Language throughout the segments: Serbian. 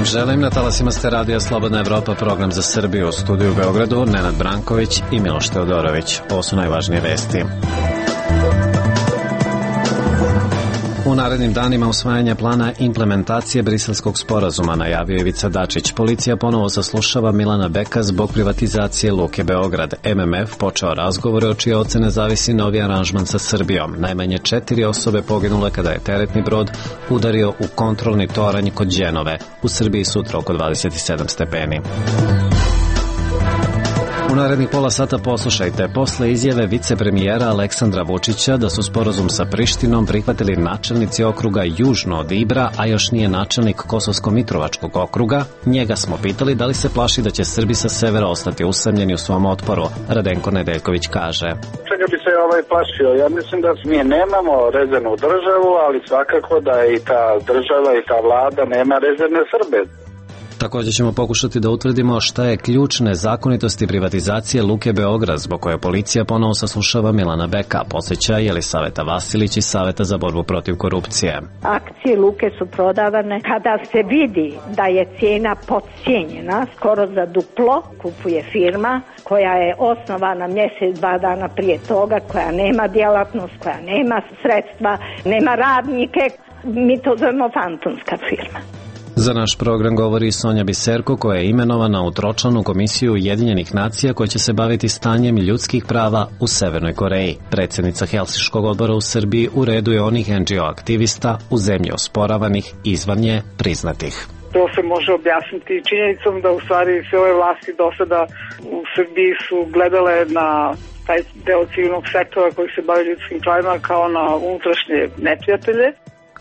želim. Na talasima ste Radija Slobodna Evropa, program za Srbiju. U studiju u Beogradu Nenad Branković i Miloš Teodorović. Ovo su najvažnije vesti. U narednim danima usvajanja plana implementacije Briselskog sporazuma, najavio Ivica Dačić. Policija ponovo saslušava Milana Beka zbog privatizacije Luke Beograd. MMF počeo razgovore o čije ocene zavisi novi aranžman sa Srbijom. Najmanje 4 osobe poginule kada je teretni brod udario u kontrolni toranj kod Đenove. U Srbiji sutra oko 27 stepeni. U narednih pola sata poslušajte. Posle izjave vicepremijera Aleksandra Vučića da su sporazum sa Prištinom prihvatili načelnici okruga južno od Ibra, a još nije načelnik Kosovsko-Mitrovačkog okruga, njega smo pitali da li se plaši da će Srbi sa severa ostati usamljeni u svom otporu. Radenko Nedeljković kaže: Čega bi se plašio? Ja mislim da mi nemamo rezervnu državu, ali svakako da i ta država i ta vlada nema rezervne Srbe. Također ćemo pokušati da utvrdimo šta je ključ nezakonitosti privatizacije Luke Beograd, zbog koje policija ponovo saslušava Milana Beka, posjeća Jelisaveta Vasilić iz Saveta za borbu protiv korupcije. Akcije Luke su prodavane kada se vidi da je cijena podcijenjena, skoro za duplo, kupuje firma koja je osnovana mjesec, 2 dana prije toga, koja nema djelatnost, koja nema sredstva, nema radnike, mi to zovemo fantomska firma. Za naš program govori Sonja Biserko, koja je imenovana u tročlanu komisiju Ujedinjenih nacija koja će se baviti stanjem ljudskih prava u Severnoj Koreji. Predsjednica Helsinškog odbora u Srbiji u redu je onih NGO aktivista u zemlji osporavanih, izvan nje priznatih. To se može objasniti činjenicom da u stvari sve ove vlasti do sada u Srbiji su gledale na taj deo civilnog sektora koji se bavi ljudskim pravima kao na unutrašnje neprijatelje.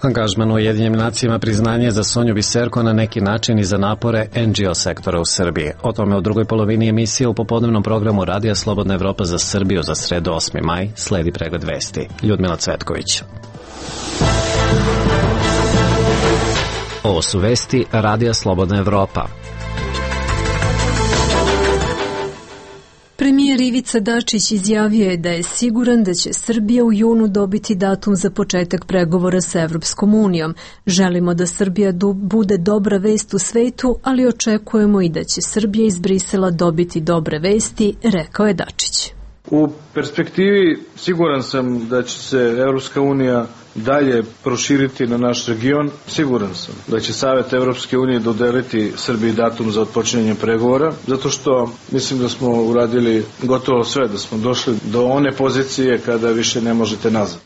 Angažman u Ujedinjenim nacijama priznanje za Sonju Biserko na neki način i za napore NGO sektora u Srbiji. O tome u drugoj polovini emisije u popodnevnom programu Radija Slobodna Evropa za Srbiju za sredu 8. maj sledi pregled vesti. Ljudmila Cvetković. Ovo su vesti Radija Slobodna Evropa. Premijer Ivica Dačić izjavio je da je siguran da će Srbija u junu dobiti datum za početak pregovora sa Evropskom unijom. Želimo da Srbija bude dobra vest u svetu, ali očekujemo i da će Srbija iz Brisela dobiti dobre vesti, rekao je Dačić. U perspektivi siguran sam da će se Evropska unija dalje proširiti na naš region. Siguran sam da će Savet Evropske unije dodeliti Srbiji datum za otpočinjanje pregovora, zato što mislim da smo uradili gotovo sve, da smo došli do one pozicije kada više ne možete nazad.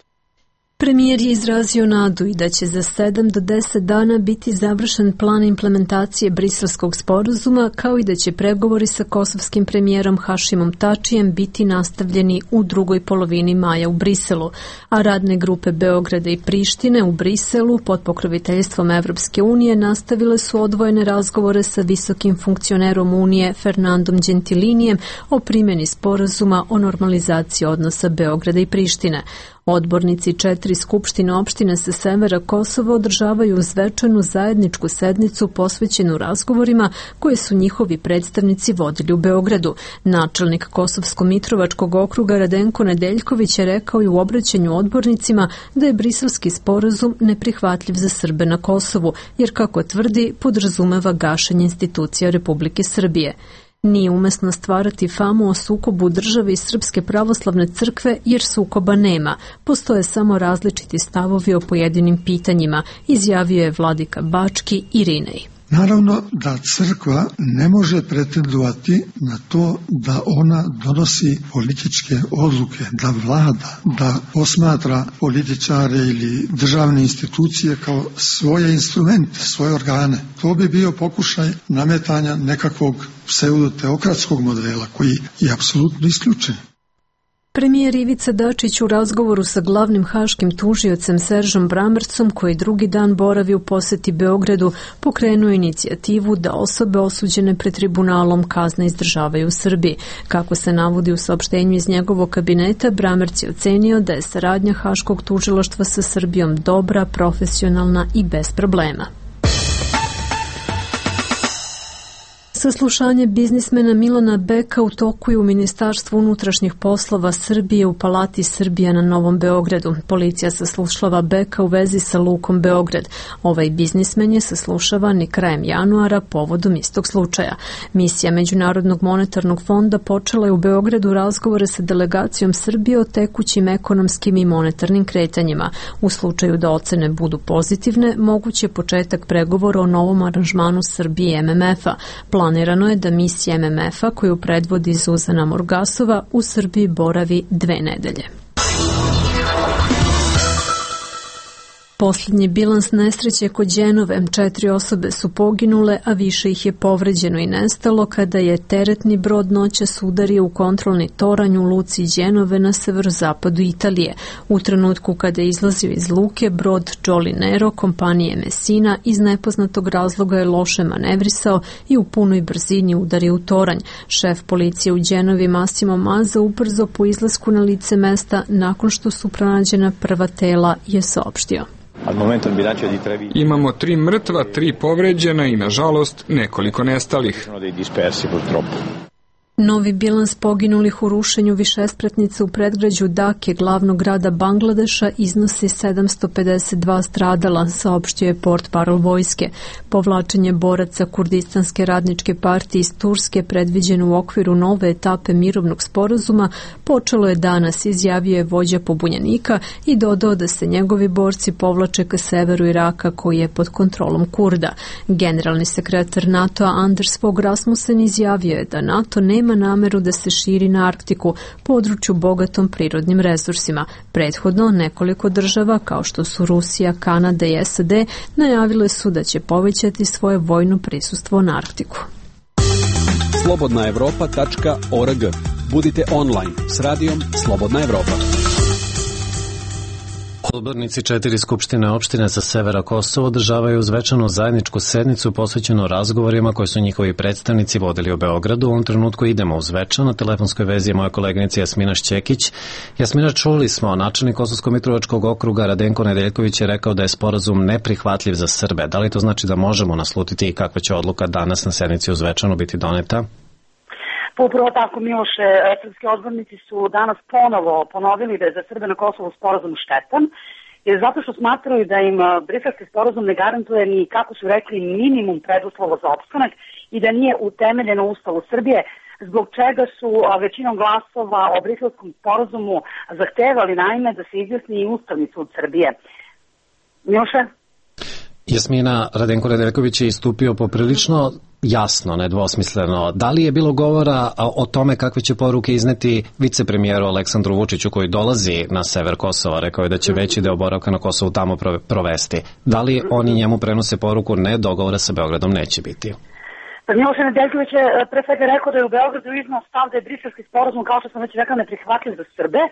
Premijer je izrazio nadu i da će za 7 do 10 dana biti završen plan implementacije Briselskog sporazuma, kao i da će pregovori sa kosovskim premijerom Hašimom Tačijem biti nastavljeni u drugoj polovini maja u Briselu, a radne grupe Beograda i Prištine u Briselu pod pokroviteljstvom Evropske unije nastavile su odvojene razgovore sa visokim funkcionerom Unije Fernandom Gentilinijem o primjeni sporazuma o normalizaciji odnosa Beograda i Prištine. Odbornici 4 skupštine opštine sa severa Kosova održavaju svečanu zajedničku sednicu posvećenu razgovorima koje su njihovi predstavnici vodili u Beogradu. Načelnik Kosovsko-Mitrovačkog okruga Radenko Nedeljković je rekao i u obraćanju odbornicima da je briselski sporazum neprihvatljiv za Srbe na Kosovu, jer kako tvrdi podrazumeva gašenje institucija Republike Srbije. Nije umesno stvarati famu o sukobu države i Srpske pravoslavne crkve jer sukoba nema. Postoje samo različiti stavovi o pojedinim pitanjima, izjavio je vladika Bački Irinej. Naravno da crkva ne može pretendovati na to da ona donosi političke odluke, da vlada, da posmatra političare ili državne institucije kao svoje instrumente, svoje organe. To bi bio pokušaj nametanja nekakvog pseudoteokratskog modela koji je apsolutno isključen. Premijer Ivica Dačić u razgovoru sa glavnim haškim tužiocem Seržom Brammercom, koji drugi dan boravi u posjeti Beogradu, pokrenuo inicijativu da osobe osuđene pred tribunalom kazne izdržavaju u Srbiji. Kako se navodi u saopštenju iz njegovog kabineta, Brammerc je ocenio da je saradnja haškog tužilaštva sa Srbijom dobra, profesionalna i bez problema. Saslušanje biznismena Milana Beka u toku je u Ministarstvu unutrašnjih poslova Srbije u Palati Srbija na Novom Beogradu. Policija saslušava Beka u vezi sa Lukom Beograd. Ovaj biznismen je saslušavan i krajem januara povodom istog slučaja. Misija Međunarodnog monetarnog fonda počela je u Beogradu razgovore sa delegacijom Srbije o tekućim ekonomskim i monetarnim kretanjima. U slučaju da ocene budu pozitivne, moguće je početak pregovora o novom aranžmanu Srbije i MMF-a. Planirano je da misija MMF-a koju predvodi Zuzana Morgasova u Srbiji boravi 2 nedelje. Posljednji bilans nesreće kod Đenove, 4 osobe su poginule, a više ih je povređeno i nestalo kada je teretni brod noćas udario u kontrolni toranj u luci Đenove na severozapadu Italije. U trenutku kada je izlazio iz luke, brod Jolly Nero kompanije Messina iz nepoznatog razloga je loše manevrisao i u punoj brzini udario u toranj. Šef policije u Đenovi Massimo Mazza ubrzo po izlasku na lice mesta nakon što su pronađena prva tela je saopštio. Imamo 3 mrtva, 3 povređena i, nažalost, nekoliko nestalih. Novi bilans poginulih u rušenju višespratnice u predgrađu Dake, glavnog grada Bangladeša, iznosi 752 stradala, saopštio je portparol vojske. Povlačenje boraca Kurdistanske radničke partije iz Turske, predviđeno u okviru nove etape mirovnog sporazuma, počelo je danas, izjavio je vođa pobunjenika i dodao da se njegovi borci povlače ka severu Iraka koji je pod kontrolom Kurda. Generalni sekretar NATO-a Anders Fogh Rasmussen izjavio je da NATO nema nameru da se širi na Arktiku, području bogatom prirodnim resursima. Prethodno nekoliko država, kao što su Rusija, Kanada i SAD, najavile su da će povećati svoje vojno prisustvo na Arktiku. slobodnaevropa.org. Budite online s radijom Slobodna Evropa. Odbornici 4 skupštine opštine sa severa Kosova održavaju svečanu zajedničku sednicu posvećenu razgovorima koje su njihovi predstavnici vodili u Beogradu. U ovom trenutku idemo u Zvečan. Na telefonskoj vezi je moja koleginica Jasmina Šćekić. Jasmina, čuli smo, načelnik Kosovsko-Mitrovačkog okruga Radenko Nedeljković je rekao da je sporazum neprihvatljiv za Srbe. Da li to znači da možemo naslutiti i kakva će odluka danas na sednici u Zvečanu biti doneta? Upravo tako, Miloše, srpski odbornici su danas ponovo ponovili da je za Srbe na Kosovu sporazum štetan, jer zato što smatraju da im briselski sporazum ne garantuje ni, kako su rekli, minimum preduslova za opstanak i da nije utemeljeno u Ustavu Srbije, zbog čega su većinom glasova o briselskom sporazumu zahtevali naime da se izjasni i Ustavni sud Srbije. Miloše? Jasmina, Radenko Nedeljković je istupio poprilično jasno, nedvosmisleno. Da li je bilo govora o tome kakve će poruke izneti vicepremijeru Aleksandru Vučiću koji dolazi na sever Kosova? Rekao je da će veći deo boravka na Kosovu tamo provesti. Da li oni njemu prenose poruku ne, dogovora sa Beogradom neće biti? Miloš Nedeljković je pre svega rekao da je u Beogradu iznao stav da je briselski sporazum, kao što sam već rekao, neprihvatljiv za Srbe,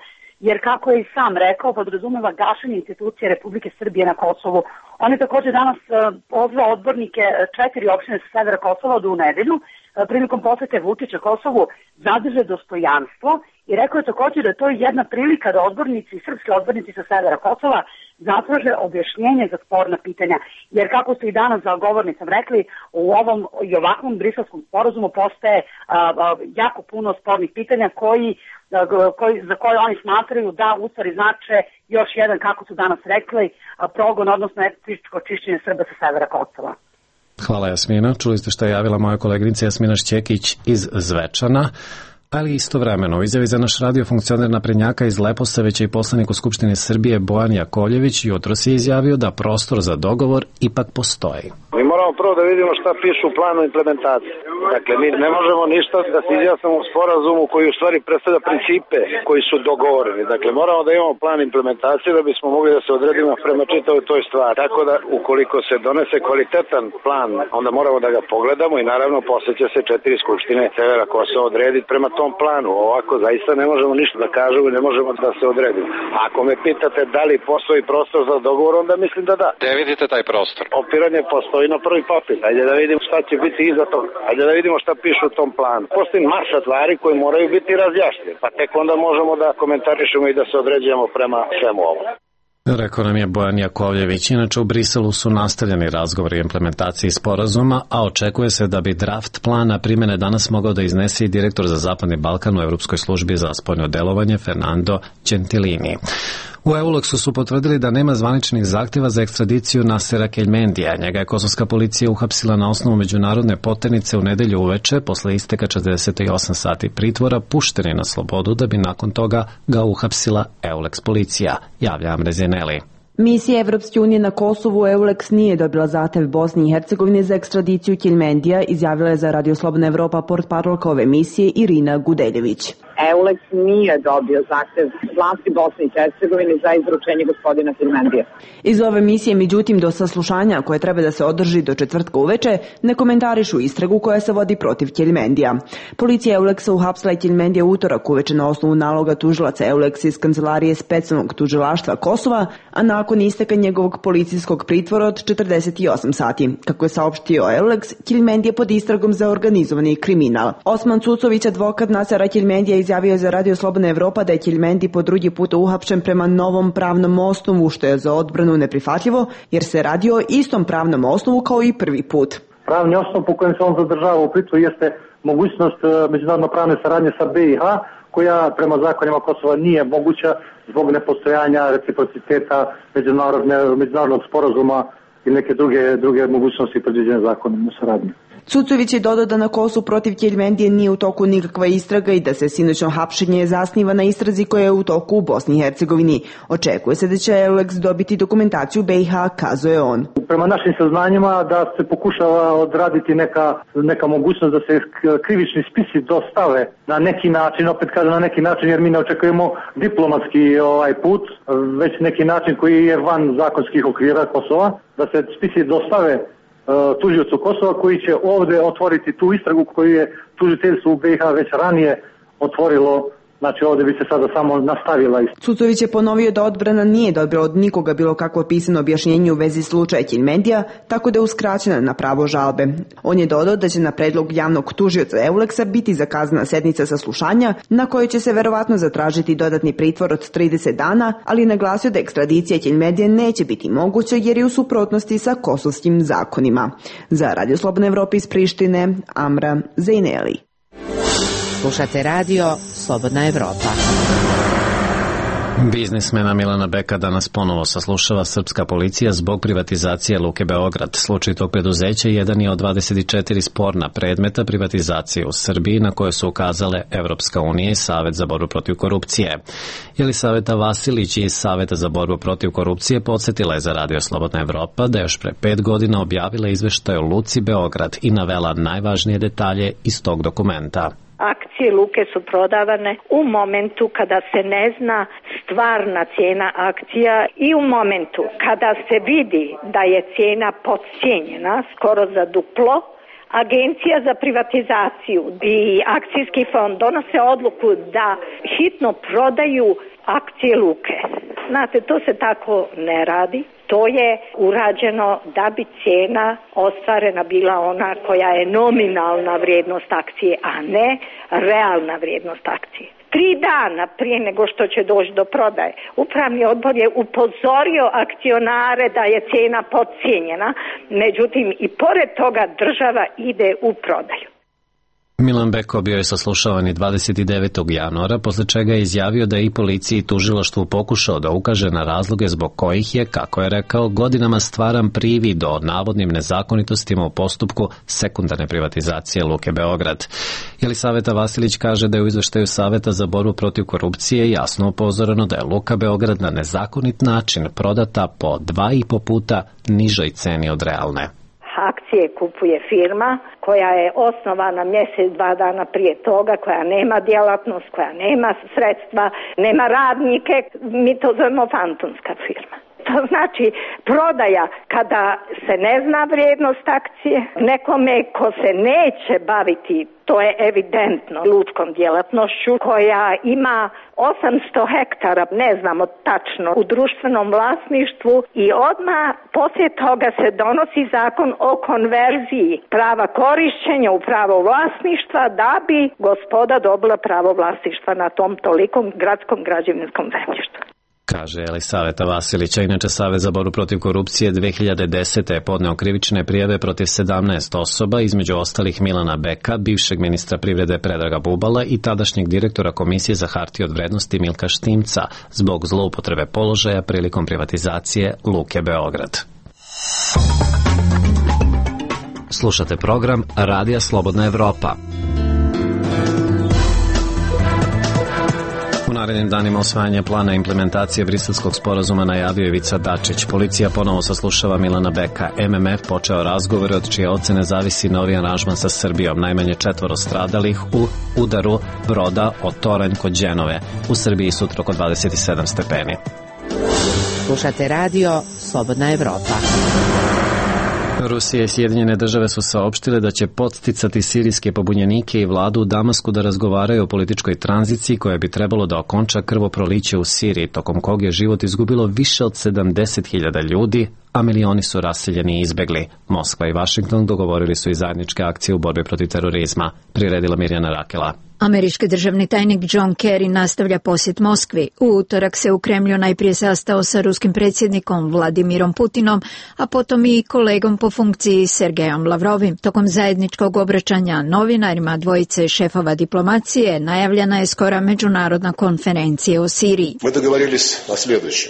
jer kako je i sam rekao, podrazumeva gašenje institucije Republike Srbije na Kosovu. On je također danas pozvao odbornike 4 opštine sa severa Kosova da u nedelju prilikom posete Vučića Kosovu zadrže dostojanstvo i rekao je također da to je jedna prilika da odbornici, srpski odbornici sa severa Kosova zatraže objašnjenje za sporna pitanja. Jer kako su i danas za govornicom rekli, u ovom i ovakvom briselskom sporazumu postaje jako puno spornih pitanja za koje oni smatraju da u stvari znače još jedan, kako su danas rekli, progon, odnosno etničko čišćenje Srba sa severa Kosova. Hvala, Jasmina. Čuli ste što je javila moja koleginica Jasmina Šćekić iz Zvečana. Ali istovremeno, u izjavi za naš radio funkcioner naprednjaka iz Leposavića i poslanik u Skupštini Srbije Bojan Jakovljević jutros je izjavio da prostor za dogovor ipak postoji. Mi moramo prvo da vidimo šta piše u planu implementacije. Dakle, mi ne možemo ništa da se izjasnimo u sporazumu koji u stvari predstavlja principe koji su dogovoreni. Dakle, moramo da imamo plan implementacije da bismo mogli da se odredimo prema čitavoj toj stvari. Tako da, ukoliko se donese kvalitetan plan, onda moramo da ga pogledamo i naravno posle će se 4 skupštine severa Kosova odrediti prema tom planu. Ovako zaista ne možemo ništa da kažemo i ne možemo da se odredimo. Ako me pitate da li postoji prostor za dogovor, onda mislim da da. Gde vidite taj prostor? Opiranje postoji na prvi papir. Ajde da vidimo šta će biti iza toga. Ajde da vidimo šta piše u tom planu. Postoji masa stvari koje moraju biti razjašnjene. Pa tek onda možemo da komentarišemo i da se određujemo prema svemu ovom. Rekao nam je Bojan Jakovljević. Inače u Briselu su nastavljeni razgovori o implementaciji sporazuma, a očekuje se da bi draft plana primjene danas mogao da iznese i direktor za Zapadni Balkan u Evropskoj službi za spoljno delovanje Fernando Gentilini. U EULEX-u su potvrdili da nema zvaničnih zahtjeva za ekstradiciju Nasera Keljmendija. Njega je kosovska policija uhapsila na osnovu međunarodne poternice u nedelju uveče, posle isteka 48 sati pritvora, pušten je na slobodu da bi nakon toga ga uhapsila EULEX policija, javlja Amrezineli. Misija Evropske unije na Kosovu EULEX nije dobila zahtev Bosne i Hercegovine za ekstradiciju Keljmendija, izjavila je za Radio Slobodna Evropa portparolka ove misije Irina Gudeljević. EULEX nije dobio zahtev vlasti Bosne i Hercegovine za izručenje gospodina Keljmendija. Iz ove misije, međutim, do saslušanja koje treba da se održi do četvrtka uveče, ne komentarišu istragu koja se vodi protiv Keljmendija. Policija EULEX-a uhapsila je Keljmendija utorak uveče na osnovu naloga tužilaca EULEX iz kancelarije specijalnog tužilaštva Kosova, a nakon isteka njegovog policijskog pritvora od 48 sati. Kako je saopštio EULEX, Keljmendija pod istragom za organizovani kriminal. Osman Cucović, advokat Nasera Keljmendija, izjavio je za Radio Slobodna Evropa da je Keljmendi po drugi put uhapšen prema novom pravnom osnovu, što je za odbranu neprihvatljivo, jer se radi o istom pravnom osnovu kao i prvi put. Pravni osnov po kojem se on zadržava u pritvoru jeste mogućnost međunarodno pravne saradnje sa BiH, koja prema zakonima Kosova nije moguća zbog nepostojanja reciprociteta međunarodnog sporazuma i neke druge mogućnosti predviđene zakonom o saradnji. Cucović je dodao da na Kosovu protiv Keljmendije nije u toku nikakva istraga i da se sinoćno hapšenje zasniva na istrazi koja je u toku u Bosni i Hercegovini. Očekuje se da će EULEX dobiti dokumentaciju BiH, kazuje on. Prema našim saznanjima da se pokušava odraditi neka mogućnost da se krivični spisi dostave na neki način, opet kažem na neki način jer mi ne očekujemo diplomatski put, već neki način koji je van zakonskih okvira Kosova, da se spisi dostave tužiocu Kosova koji će ovdje otvoriti tu istragu koju je tužiteljstvo u BiH već ranije otvorilo, znači ovdje bi se sada samo nastavila. Cucović je ponovio da odbrana nije dobila od nikoga bilo kakvo pisano objašnjenje u vezi slučaja Keljmendija, tako da je uskraćena na pravo žalbe. On je dodao da će na predlog javnog tužioca EULEX-a biti zakazana sednica saslušanja na kojoj će se verovatno zatražiti dodatni pritvor od 30 dana, ali naglasio da ekstradicija Keljmendija neće biti moguća jer je u suprotnosti sa kosovskim zakonima. Za Radio Slobodna Evropa iz Prištine, Amra Zejneli. Slušate radio Slobodna Evropa. Biznismena Milana Beka danas ponovo saslušava srpska policija zbog privatizacije Luke Beograd. Slučaj tog preduzeća jedan je od 24 sporna predmeta privatizacije u Srbiji na koje su ukazale Evropska unija i Savet za borbu protiv korupcije. Jelisaveta Vasilić iz Saveta za borbu protiv korupcije podsjetila je za Radio Slobodna Evropa da je još pre 5 godina objavila izveštaj o Luci Beograd i navela najvažnije detalje iz tog dokumenta. Akcije Luke su prodavane u momentu kada se ne zna stvarna cijena akcija i u momentu kada se vidi da je cijena podcijenjena skoro za duplo. Agencija za privatizaciju i akcijski fond donose odluku da hitno prodaju akcije Luke. Znate, to se tako ne radi. To je urađeno da bi cijena ostvarena bila ona koja je nominalna vrijednost akcije, a ne realna vrijednost akcije. 3 dana prije nego što će doći do prodaje, upravni odbor je upozorio akcionare da je cijena podcijenjena, međutim i pored toga država ide u prodaju. Milan Beko bio je saslušavan i 29. januara, posle čega je izjavio da je i policiji i tužilaštvu pokušao da ukaže na razloge zbog kojih je, kako je rekao, godinama stvaran privid o navodnim nezakonitostima u postupku sekundarne privatizacije Luke Beograd. Jelisaveta Vasilić kaže da je u izveštaju Saveta za borbu protiv korupcije jasno upozoreno da je Luka Beograd na nezakonit način prodata po 2,5 puta nižoj ceni od realne. Akcije kupuje firma koja je osnovana mjesec, 2 dana prije toga, koja nema djelatnost, koja nema sredstva, nema radnike, mi to zovemo fantomska firma. To znači prodaja kada se ne zna vrijednost akcije, nekome ko se neće baviti, to je evidentno, lučkom djelatnošću koja ima 800 hektara, ne znamo tačno, u društvenom vlasništvu i odmah poslije toga se donosi zakon o konverziji prava korišćenja u pravo vlasništva da bi gospoda dobila pravo vlasništva na tom tolikom gradskom građevinskom zemljištu. kaže Elisaveta Vasilića. Inače, Savez za borbu protiv korupcije 2010. je podneo krivične prijave protiv 17 osoba, između ostalih Milana Beka, bivšeg ministra privrede Predraga Bubala i tadašnjeg direktora Komisije za hartije od vrednosti Milka Štimca zbog zloupotrebe položaja prilikom privatizacije Luke Beograd. Slušate program Radija Slobodna Evropa. U narednim danima usvajanja plana implementacije Briselskog sporazuma najavio Ivica Dačić. Policija ponovo saslušava Milana Beka. MMF počeo razgovore od čije ocene zavisi novi aranžman sa Srbijom. Najmanje 4 stradalih u udaru broda od Toranj kod Đenove. U Srbiji sutra oko 27 stepeni. Slušate radio Slobodna Evropa. Rusija i Sjedinjene države su saopštile da će podsticati sirijske pobunjenike i vladu u Damasku da razgovaraju o političkoj tranziciji koja bi trebalo da okonča krvoproliće u Siriji, tokom kog je život izgubilo više od 70.000 ljudi, a milioni su raseljeni i izbegli. Moskva i Vašington dogovorili su i zajedničke akcije u borbi protiv terorizma, priredila Mirjana Rakela. Američki državni tajnik John Kerry nastavlja posjet Moskvi. U utorak se u Kremlju najprije sastao sa ruskim predsjednikom Vladimirom Putinom, a potom i kolegom po funkciji Sergejom Lavrovim. Tokom zajedničkog obraćanja novinarima dvojice šefova diplomacije najavljena je skora međunarodna konferencija o Siriji.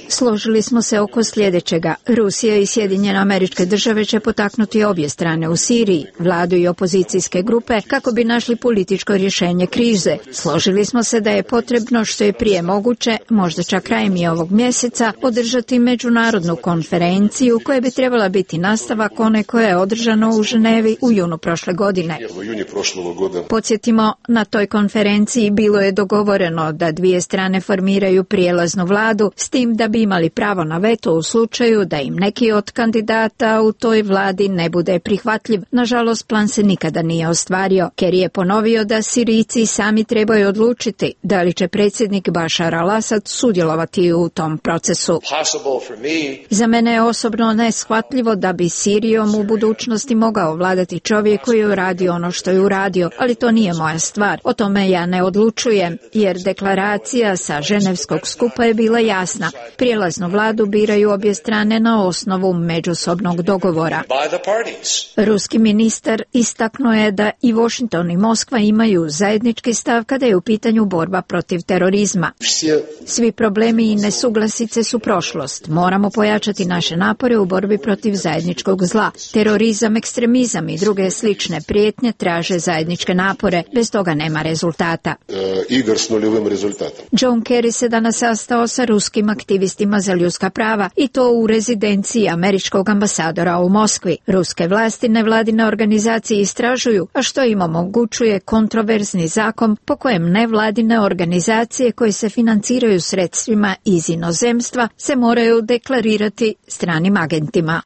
Složili smo se oko sljedećega. Rusija i Sjedinjene Američke Države će potaknuti obje strane u Siriji, vladu i opozicijske grupe, kako bi našli političko rješenje krize. Složili smo se da je potrebno što je prije moguće, možda čak krajem i ovog mjeseca, održati međunarodnu konferenciju koja bi trebala biti nastavak one koja je održana u Ženevi u junu prošle godine. Podsjetimo, na toj konferenciji bilo je dogovoreno da dvije strane formiraju prijelaznu vladu, s tim da bi imali pravo na veto u slučaju da im neki od kandidata u toj vladi ne bude prihvatljiv. Nažalost, plan se nikada nije ostvario. Kerry je ponovio da Sirijci sami trebaju odlučiti da li će predsjednik Bašar al-Asad sudjelovati u tom procesu. Za mene je osobno neshvatljivo da bi Sirijom u budućnosti mogao vladati čovjek koji je uradio ono što je uradio, ali to nije moja stvar. O tome ja ne odlučujem, jer deklaracija sa ženevskog skupa je bila jasna. Prijelaznu vladu biraju obje strane na osnovu međusobnog dogovora. Ruski ministar istaknuo je da i Washington i Moskva imaju zajednički stav kada je u pitanju borba protiv terorizma. Svi problemi i nesuglasice su prošlost. Moramo pojačati naše napore u borbi protiv zajedničkog zla. Terorizam, ekstremizam i druge slične prijetnje traže zajedničke napore. Bez toga nema rezultata. John Kerry se danas sastao sa ruskim aktivistima za ljudska prava i to u rezidenciji američkog ambasadora u Moskvi. Ruske vlasti nevladine organizacije istražuju, a što im omogućuje kontroverzni zakon po kojem nevladine organizacije koje se financiraju sredstvima iz inozemstva se moraju deklarirati stranim agentima.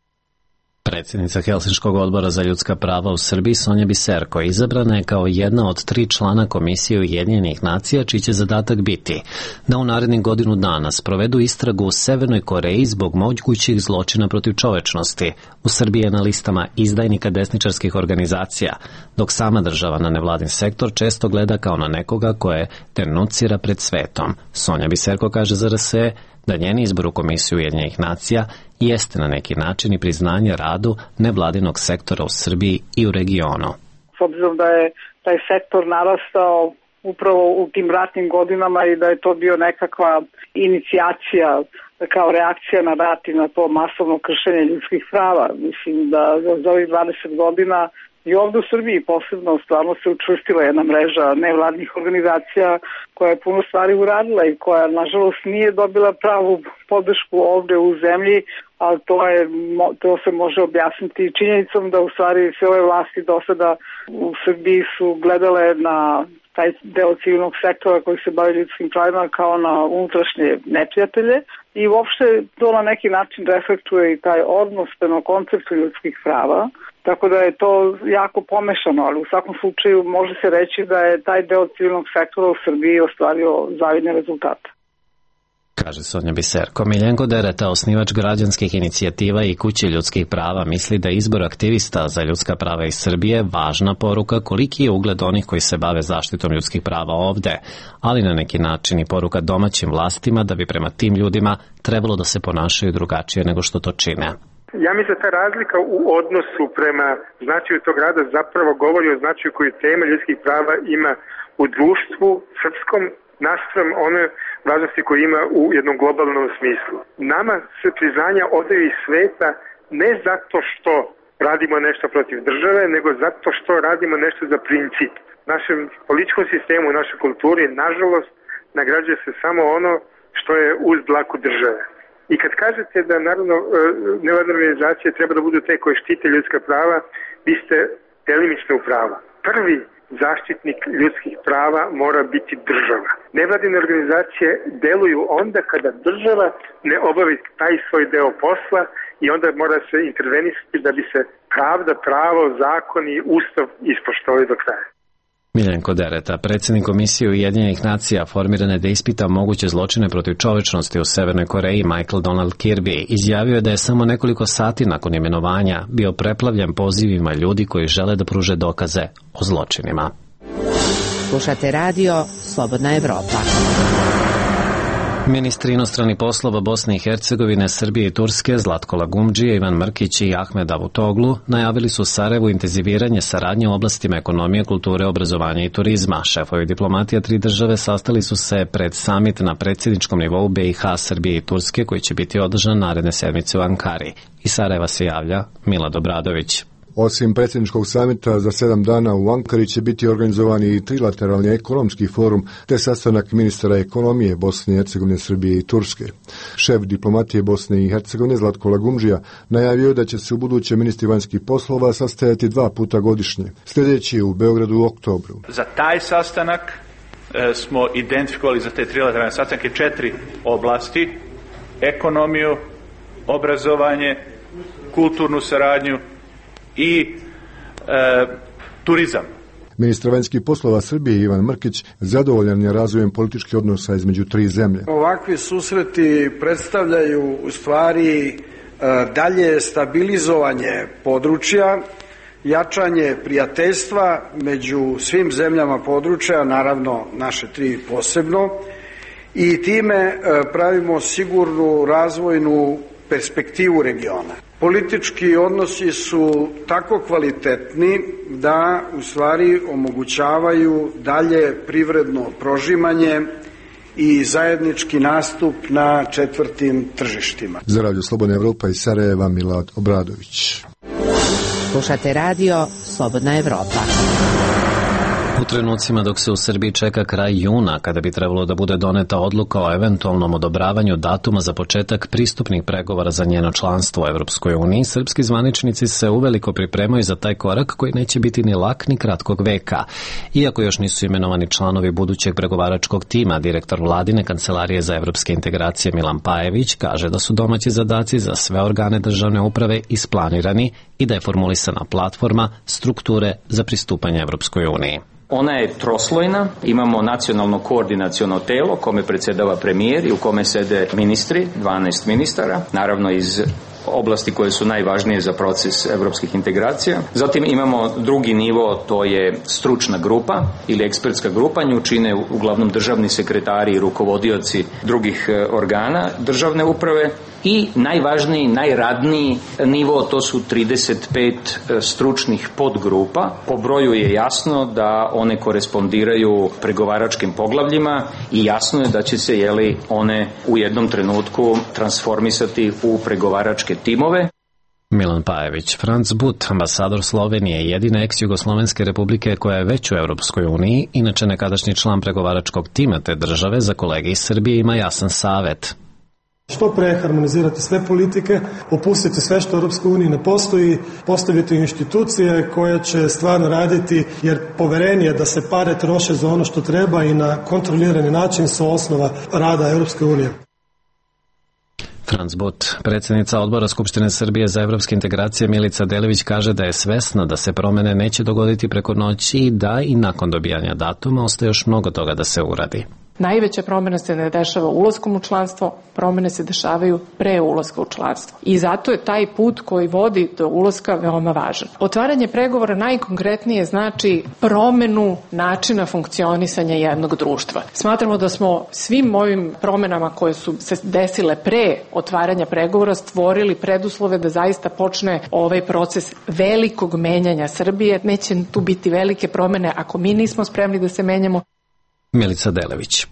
Predsjednica Helsinškog odbora za ljudska prava u Srbiji Sonja Biserko izabrana je kao jedna od 3 člana Komisije Ujedinjenih nacija, čiji će zadatak biti da u narednih godinu dana sprovedu istragu u Severnoj Koreji zbog mogućih zločina protiv čovečnosti. U Srbiji je na listama izdajnika desničarskih organizacija, dok sama država na nevladin sektor često gleda kao na nekoga koje denuncira pred svetom. Sonja Biserko kaže za RSE da njen izbor u Komisiju Ujedinjenih nacija jeste na neki način i priznanje radu nevladinog sektora u Srbiji i u regionu. S obzirom da je taj sektor narastao upravo u tim ratnim godinama i da je to bio nekakva inicijacija kao reakcija na rat i na to masovno kršenje ljudskih prava. Mislim da za ovih 20 godina i ovdje u Srbiji posebno stvarno se učvrstila jedna mreža nevladnih organizacija koja je puno stvari uradila i koja nažalost nije dobila pravu podršku ovdje u zemlji, ali to se može objasniti činjenicom da u stvari sve ove vlasti do sada u Srbiji su gledale na taj deo civilnog sektora koji se bavi ljudskim pravima kao na unutrašnje neprijatelje i uopšte to na neki način reflektuje i taj odnos prema konceptu ljudskih prava, tako da je to jako pomešano, ali u svakom slučaju može se reći da je taj deo civilnog sektora u Srbiji ostvario zavidne rezultate. kaže Sonja Biserko. Miljenko Dereta, osnivač građanskih inicijativa i Kuće ljudskih prava, misli da je izbor aktivista za ljudska prava iz Srbije važna poruka koliki je ugled onih koji se bave zaštitom ljudskih prava ovde, ali na neki način i poruka domaćim vlastima da bi prema tim ljudima trebalo da se ponašaju drugačije nego što to čine. Ja mislim da ta razlika u odnosu prema značaju tog rada zapravo govori o značaju koju tema ljudskih prava ima u društvu srpskom naspram one važnosti koje ima u jednom globalnom smislu. Nama se priznanja odaju iz sveta ne zato što radimo nešto protiv države, nego zato što radimo nešto za princip. U našem političkom sistemu, u našoj kulturi, nažalost, nagrađuje se samo ono što je uz dlaku države. I kad kažete da, naravno, nevladine organizacije treba da budu te koje štite ljudska prava, vi ste delimično u pravu. Prvi zaštitnik ljudskih prava mora biti država. Nevladine organizacije deluju onda kada država ne obavi taj svoj deo posla i onda mora se intervenisati da bi se pravda, pravo, zakon i ustav ispoštovali do kraja. Miljenko Dereta, predsjednik Komisije Ujedinjenih nacija formirane da ispita moguće zločine protiv čovečnosti u Severnoj Koreji, Michael Donald Kirby, izjavio je da je samo nekoliko sati nakon imenovanja bio preplavljen pozivima ljudi koji žele da pruže dokaze o zločinima. Slušate radio Slobodna Evropa. Ministri inostranih poslova Bosne i Hercegovine, Srbije i Turske, Zlatko Lagumdžija, Ivan Mrkić i Ahmed Davutoglu najavili su Sarajevu intenziviranje saradnje u oblastima ekonomije, kulture, obrazovanja i turizma. Šefovi diplomatija tri države sastali su se pred samit na predsjedničkom nivou BiH, Srbije i Turske koji će biti održan naredne sedmice u Ankari. Iz Sarajeva se javlja Milad Obradović. Osim predsjedničkog samita za 7 dana u Ankari će biti organizovan i trilateralni ekonomski forum te sastanak ministara ekonomije Bosne i Hercegovine, Srbije i Turske. Šef diplomatije Bosne i Hercegovine Zlatko Lagumdžija najavio da će se u buduće ministri vanjskih poslova sastajati 2 puta godišnje. Sljedeći je u Beogradu u oktobru. Za taj sastanak smo identifikovali za te trilateralne sastanke 4 oblasti: ekonomiju, obrazovanje, kulturnu saradnju i turizam. Ministar vanjskih poslova Srbije Ivan Mrkić zadovoljan je razvojem političkih odnosa između tri zemlje. Ovakvi susreti predstavljaju u stvari dalje stabilizovanje područja, jačanje prijateljstva među svim zemljama područja, naravno naše tri posebno, i time pravimo sigurnu razvojnu perspektivu regiona. Politički odnosi su tako kvalitetni da u stvari omogućavaju dalje privredno prožimanje i zajednički nastup na četvrtim tržištima. Za Radio Slobodna Evropa iz Sarajeva Milad Obradović. Slušate radio Slobodna Evropa. U trenucima dok se u Srbiji čeka kraj juna, kada bi trebalo da bude doneta odluka o eventualnom odobravanju datuma za početak pristupnih pregovora za njeno članstvo u Evropskoj uniji, srpski zvaničnici se uveliko pripremaju za taj korak koji neće biti ni lak ni kratkog veka. Iako još nisu imenovani članovi budućeg pregovaračkog tima, direktor Vladine kancelarije za evropske integracije Milan Pajević kaže da su domaći zadaci za sve organe državne uprave isplanirani i da je formulisana platforma strukture za pristupanje Evropskoj uniji. Ona je troslojna, imamo nacionalno koordinaciono telo kome predsjedava premijer i u kome sede ministri, 12 ministara, naravno iz oblasti koje su najvažnije za proces evropskih integracija. Zatim imamo drugi nivo, to je stručna grupa ili ekspertska grupa, nju čine uglavnom državni sekretari i rukovodioci drugih organa državne uprave. I najvažniji, najradniji nivo, to su 35 stručnih podgrupa. Po broju je jasno da one korespondiraju pregovaračkim poglavljima i jasno je da će se one u jednom trenutku transformisati u pregovaračke timove. Milan Pajević. Franz But, ambasador Slovenije, jedine ex-Jugoslovenske republike koja je već u Evropskoj uniji, inače nekadašnji član pregovaračkog tima te države, za kolege iz Srbije ima jasan savet. Što pre harmonizirati sve politike, opustiti sve što u Europskoj uniji ne postoji, postaviti institucije koje će stvarno raditi, jer poverenje da se pare troše za ono što treba i na kontrolirani način su osnova rada Europske unije. Franz But, predsjednica odbora Skupštine Srbije za evropske integracije Milica Delević kaže da je svesna da se promene neće dogoditi preko noći i da i nakon dobijanja datuma ostaje još mnogo toga da se uradi. Najveća promjena se ne dešava ulaskom u članstvo, promjene se dešavaju pre ulaska u članstvo. I zato je taj put koji vodi do ulaska veoma važan. Otvaranje pregovora najkonkretnije znači promjenu načina funkcionisanja jednog društva. Smatramo da smo svim ovim promjenama koje su se desile pre otvaranja pregovora stvorili preduslove da zaista počne ovaj proces velikog menjanja Srbije. Neće tu biti velike promjene ako mi nismo spremni da se menjamo. Milica Delević.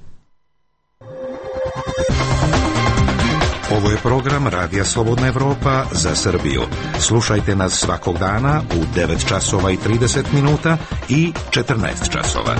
Ovo je program Radija Slobodna Evropa za Srbiju. Slušajte nas svakog dana u 9 časova i 30 minuta i 14 časova.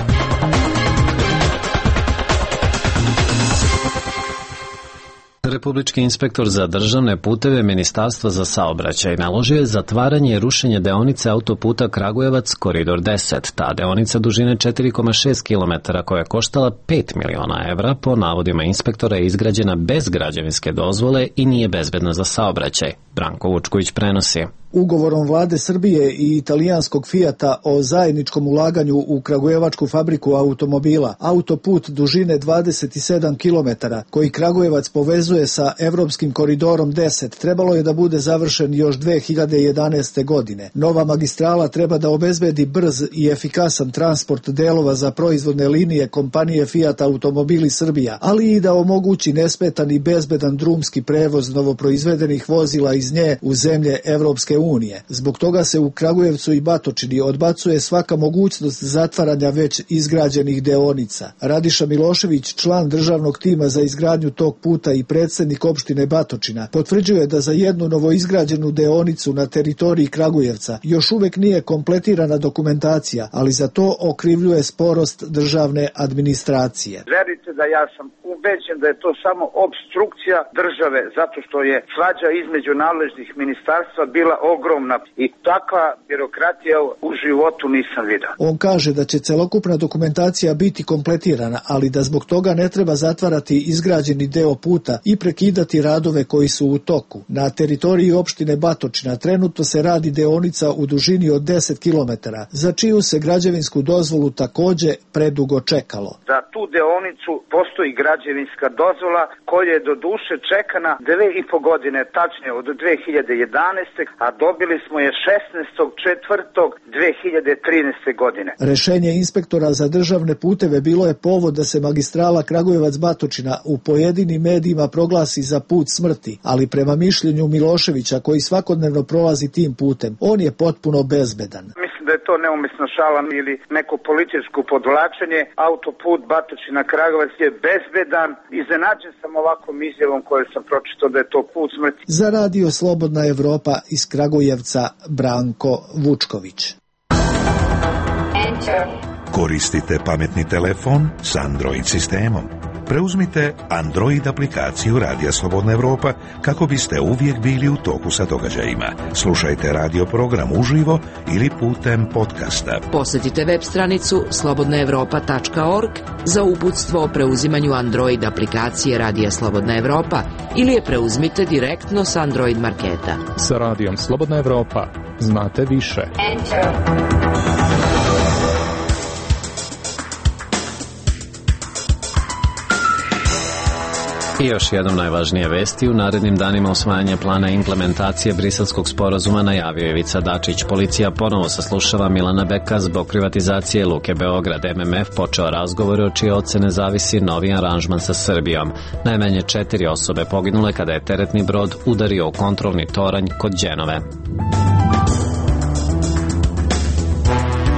Republički inspektor za državne puteve Ministarstva za saobraćaj naložio je zatvaranje i rušenje deonice autoputa Kragujevac Koridor 10. Ta deonica dužine 4,6 km koja je koštala 5 miliona evra po navodima inspektora je izgrađena bez građevinske dozvole i nije bezbedna za saobraćaj. Branko Vučković prenosi. Ugovorom vlade Srbije i italijanskog Fijata o zajedničkom ulaganju u kragujevačku fabriku automobila, autoput dužine 27 km koji Kragujevac povezuje sa evropskim koridorom 10 trebalo je da bude završen još 2011. godine. Nova magistrala treba da obezbedi brz i efikasan transport delova za proizvodne linije kompanije Fiat Automobili Srbija, ali i da omogući nesmetan i bezbedan drumski prevoz novoproizvedenih vozila iz nje u zemlje Evropske unije. Zbog toga se u Kragujevcu i Batočini odbacuje svaka mogućnost zatvaranja već izgrađenih deonica. Radiša Milošević, član državnog tima za izgradnju tog puta i predsjednik opštine Batočina, potvrđuje da za jednu novoizgrađenu deonicu na teritoriji Kragujevca još uvek nije kompletirana dokumentacija, ali za to okrivljuje sporost državne administracije. Verite da ja sam ubeđen da je to samo obstrukcija države zato što je svađa između nadležnih ministarstva bila ogromna i takva birokratija u životu nisam vidio. On kaže da će celokupna dokumentacija biti kompletirana, ali da zbog toga ne treba zatvarati izgrađeni deo puta i prekidati radove koji su u toku. Na teritoriji opštine Batočina trenutno se radi deonica u dužini od 10 km, za čiju se građevinsku dozvolu takođe predugo čekalo. Za tu deonicu postoji građevinska dozvola koja je do duše čekana 2,5 godine, tačnije od 2011. a dobili smo je 16.4.2013. godine. Rešenje inspektora za državne puteve bilo je povod da se magistrala Kragujevac-Batočina u pojedinim medijima proglasi za put smrti, ali prema mišljenju Miloševića, koji svakodnevno prolazi tim putem, on je potpuno bezbedan. Mislim da je to neumesna šala ili neko političko podvlačenje. Autoput Batočina-Kragujevac je bezbedan. Iznenađen sam ovakvom izjavom koju sam pročitao da je to put smrti. Za Radio Slobodna Evropa iz Kragujevca, Branko Vučković. Koristite pametni telefon s Android sistemom. Preuzmite Android aplikaciju Radija Slobodna Evropa kako biste uvijek bili u toku sa događajima. Slušajte radio program uživo ili putem podcasta. Posjetite web stranicu slobodnaevropa.org za uputstvo o preuzimanju Android aplikacije Radija Slobodna Evropa ili je preuzmite direktno s Android marketa. Sa Radijom Slobodna Evropa znate više. I još jednom najvažnije vesti. U narednim danima usvajanje plana implementacije Briselskog sporazuma najavio je Ivica Dačić. Policija ponovo saslušava Milana Beka zbog privatizacije Luke Beograd. MMF počeo razgovore od čije ocene zavisi novi aranžman sa Srbijom. Najmanje 4 osobe poginule kada je teretni brod udario u kontrolni toranj kod Đenove.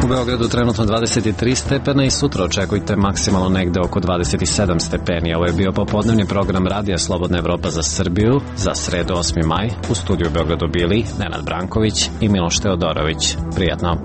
U Beogradu trenutno 23 stepena i sutra očekujte maksimalno negde oko 27 stepeni. Ovo je bio popodnevni program Radija Slobodna Evropa za Srbiju za sredu 8. maj. U studiju u Beogradu bili Nenad Branković i Miloš Teodorović. Prijatno.